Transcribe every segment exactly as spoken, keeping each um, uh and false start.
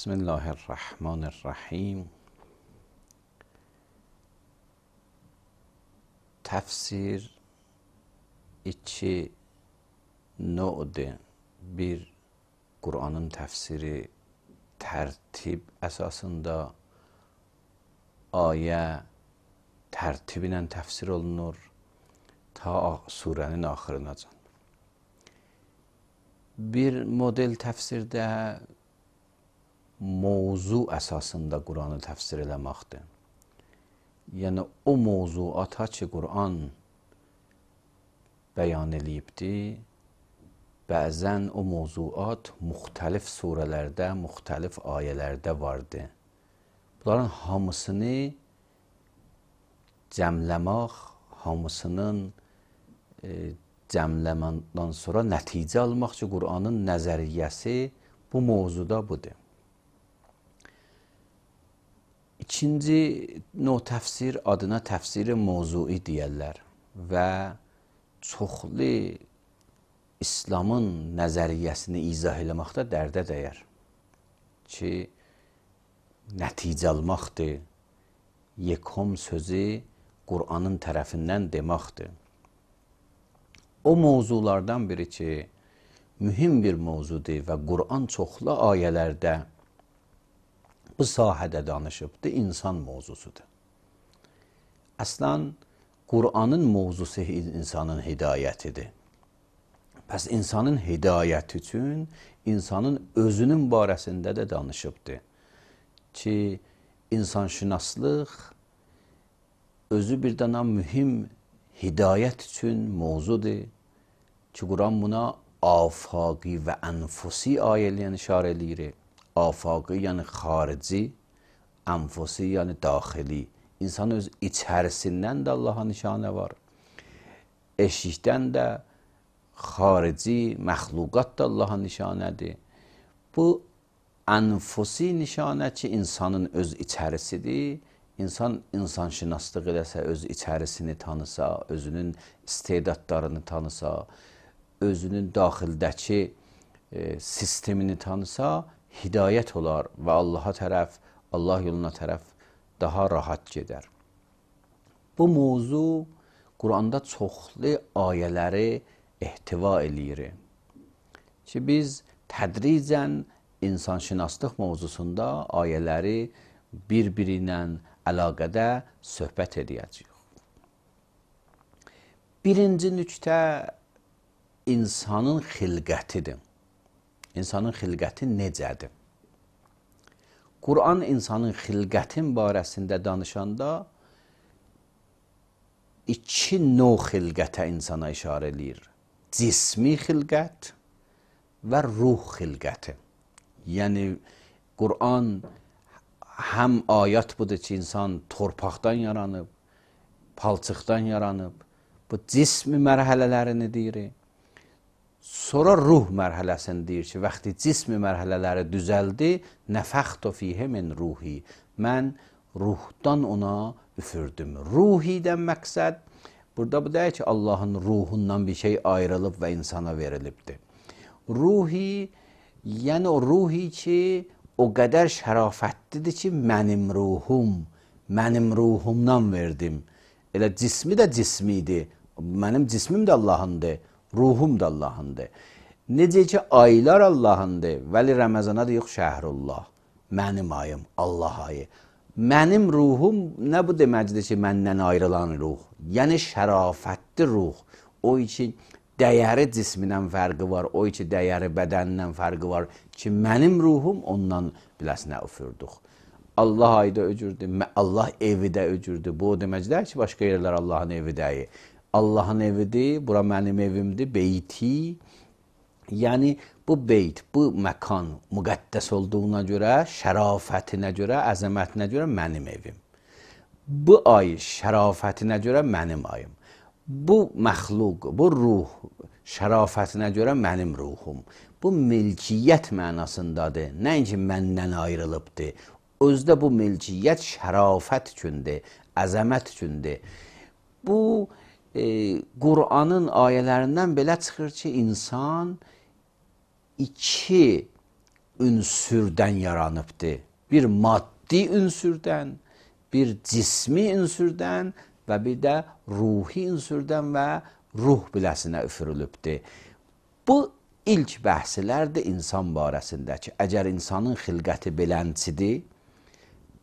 Bismillahirrahmanirrahim. Tefsir iki növdir. Bir, Kur'an'ın tefsiri tertib əsasında ayə tərtibi ilə təfsir olunur ta surənin axırınacan. Bir model təfsirdə mövzu əsasında Qur'anı təfsir eləməkdir. Yəni o mövzuata ki, Qur'an bəyan eləyibdir, bəzən o mövzuat müxtəlif surələrdə, müxtəlif ayələrdə vardır. Bunların hamısını cəmləmək, hamısının e, cəmləməndən sonra nəticə almaq ki, Qur'anın nəzəriyyəsi bu mövzuda budur. İkinci növ təfsir adına təfsiri mövzui deyərlər və çoxlu İslamın nəzəriyyəsini izah eləməkdə dərdə dəyər ki, nəticə almaqdır, yekom sözü Qur'anın tərəfindən deməkdir. O mövzulardan biri ki, mühüm bir mövzudur və Qur'an çoxlu ayələrdə bu sahədə danışıbdır, insan mövzusudur. Əslən, Qur'anın mövzusu insanın hidayətidir. Pəs insanın hidayəti üçün insanın özünün barəsində də danışıbdır ki, insanşünaslıq özü bir dana mühüm hidayət üçün mövzudur ki, Qur'an buna afaqi və ənfusi ayəliyən işarə eləyir. Afaqi yəni xarici, ənfusi yəni daxili. İnsan öz içərisindən də Allaha nişanə var. Eşikdən də xarici, məxluqat da Allaha nişanədir. Bu ənfusi nişanə ki, insanın öz içərisidir. İnsan insanşünaslıq eləsə, öz içərisini tanısa, özünün istedadlarını tanısa, özünün daxildəki e, sistemini tanısa, hidayət olar və Allaha tərəf, Allah yoluna tərəf daha rahat gedər. Bu mövzu Qur'anda çoxlu ayələri ehtiva eləyir ki, biz tədricən insanşünaslıq mövzusunda ayələri bir-biri ilə əlaqədə söhbət edəcəyik. Birinci nüqtə insanın xilqətidir. İnsanın xilqəti necədir? Qur'an insanın xilqətin barəsində danışanda iki növ xilqətə insana işarə eləyir. Cismi xilqət və ruh xilqəti. Yəni, Qur'an həm ayət budur ki, insan torpaqdan yaranıb, palçıqdan yaranıb, bu cismi mərhələlərini deyir. Sonra ruh mərhələsini deyir ki, vaxtı cismi mərhələləri düzəldi, nəfəxtu fihə min ruhi. Mən ruhdan ona üfürdüm. Ruhidən məqsəd, burada bu deyir ki, Allahın ruhundan bir şey ayrılıb və insana verilibdir. Ruhi, yəni o ruhi ki, o qədər şərafətlidir ki, mənim ruhum, mənim ruhumdan verdim. Elə cismi də cismidir, mənim cismim də Allahındır. Ruhum da Allahındır. Necə ki, aylar Allahındır. Vəli Rəməzana da yox, şəhrullah. Mənim ayım, Allah ayı. Mənim ruhum nə bu deməkdir ki, məndən ayrılan ruh? Yəni, şərafətli ruh. O ki, dəyəri cismindən fərqi var, o ki, dəyəri bədənindən fərqi var ki, mənim ruhum ondan biləsinə üfürdük. Allah ayı da öcürdür, Allah evi də öcürdür. Bu o deməkdir ki, başqa yerlər Allahın evi deyil. Allahın evidir, bura mənim evimdir, beyti. Yəni, bu beyt, bu məkan müqəddəs olduğuna görə, şərafətinə görə, əzəmətinə görə mənim evim. Bu ay şərafətinə görə mənim ayım. Bu məxluq, bu ruh şərafətinə görə mənim ruhum. Bu milkiyyət mənasındadır, nəinki məndən ayrılıbdır. Özdə bu milkiyyət şərafət üçündür, əzəmət üçündür. Bu, E, Qur'anın ayələrindən belə çıxır ki, insan iki ünsürdən yaranıbdır. Bir maddi ünsürdən, bir cismi ünsürdən və bir də ruhi ünsürdən və ruh biləsinə üfürülübdür. Bu ilk bəhslərdir insan barəsindəki. Əgər insanın xilqəti belənçidir,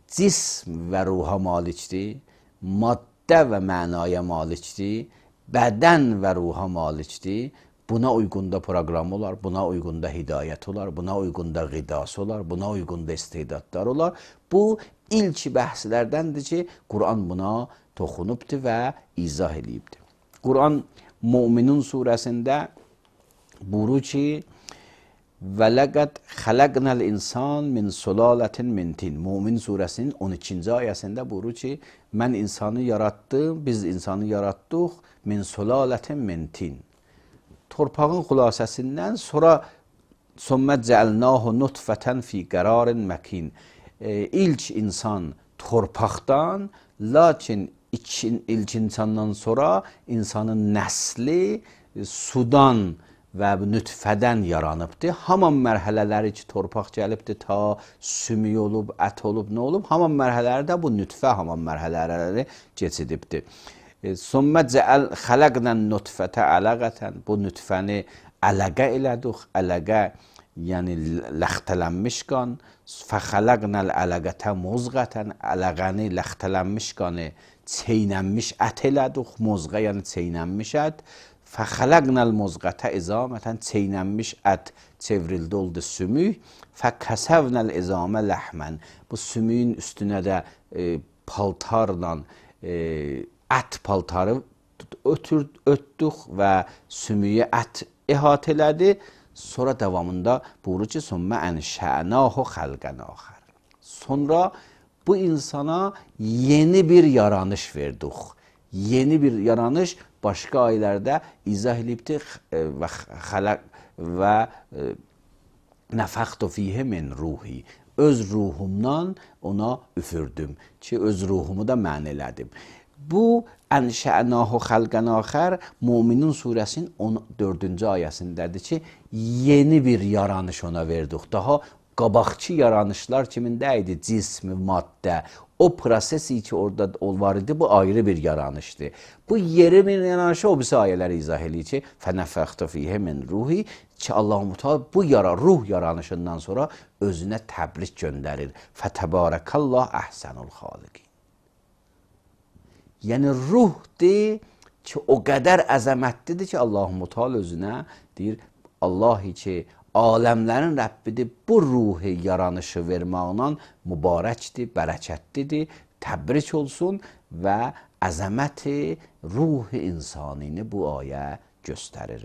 cism və ruha malikdir, maddə və mənaya malikdir, bədən və ruha malikdir, buna uyğunda proqram olar, buna uyğunda hidayət olar, buna uyğunda qidası olar, buna uyğunda istedadlar olar. Bu ilk bəhslərdəndir ki, Quran buna toxunubdur və izah edibdir. Quran Müminun surəsində buyurur ki, və ləqəd xələqnəl insan min sulalətin min tin. Mümin surəsinin on ikinci ayəsində buyurur ki, mən insanı yaratdım, biz insanı yaratdıq min sulalətin min tin. Torpağın xülasəsindən sonra sonra cəlnahu nutfətən fi qərarin məkin. E, ilk insan torpaqdan, lakin İkin, ilk insandan sonra insanın nəsli sudan və nütfədən yaranıbdır. Haman mərhələləri ki, torpaq gəlibdir, ta sümük olub, ət olub, nə olub? Haman mərhələlərdə bu nütfə haman mərhələləri keçidibdir. Sümmə cəəl xələqnən nutfətə ələqətən. Bu nütfəni ələqə elədik. Ələqə, yəni ləxtələnmiş qan. Fəxələqnəl ələqətə muzqətən. Ələqəni, ləxtələnmiş qanı çeynənmiş ət elədik. Muzqa, yəni çeynənmiş ət. Fəxələqnəl muzqətə izamətən. Çeynənmiş ət çevrildi, oldu sümük. Fəkəsəvnəl izamə ləhmən. Bu sümüyün üstünə də e, paltarla e, ət paltarı ötür, ötdük və sümüyü ət əhatə elədi. Sonra davamında buyurur ki, sümmə ənşə'nahu xəlqən axər. Sonra bu insana yeni bir yaranış verdik. Yeni bir yaranış başqa ayələrdə izah edibdir və xələq və nəfəxtu fiyhi min ruhi. Öz ruhumdan ona üfürdüm ki, öz ruhumu da mən elədim. Bu ənşə'nahu xəlqən axər Müminun surəsinin on dördüncü ayəsindədir ki, yeni bir yaranış ona verdik. Daha qabaqçı yaranışlar kimində idi? Cismi, maddə. O prosesi ki, orada var idi, bu ayrı bir yaranışdır. Bu yeri bir yaranışı o birisi ayələri izah edir ki, fənəfəxtu fiyhi min ruhi ki, Allah-u Teala bu yara, ruh yaranışından sonra özünə təbrik göndərir. Fətəbarəkallah əhsənul xaliqin. Yəni ruhdir ki, o qədər əzəmətlidir ki, Allah-u Teala özünə deyir, Allahi ki, aləmlərin Rəbbidir, bu ruhi yaranışı verməklə mübarəkdir, bərəkətlidir, təbrik olsun və əzəməti ruhi insanini bu ayə göstərir.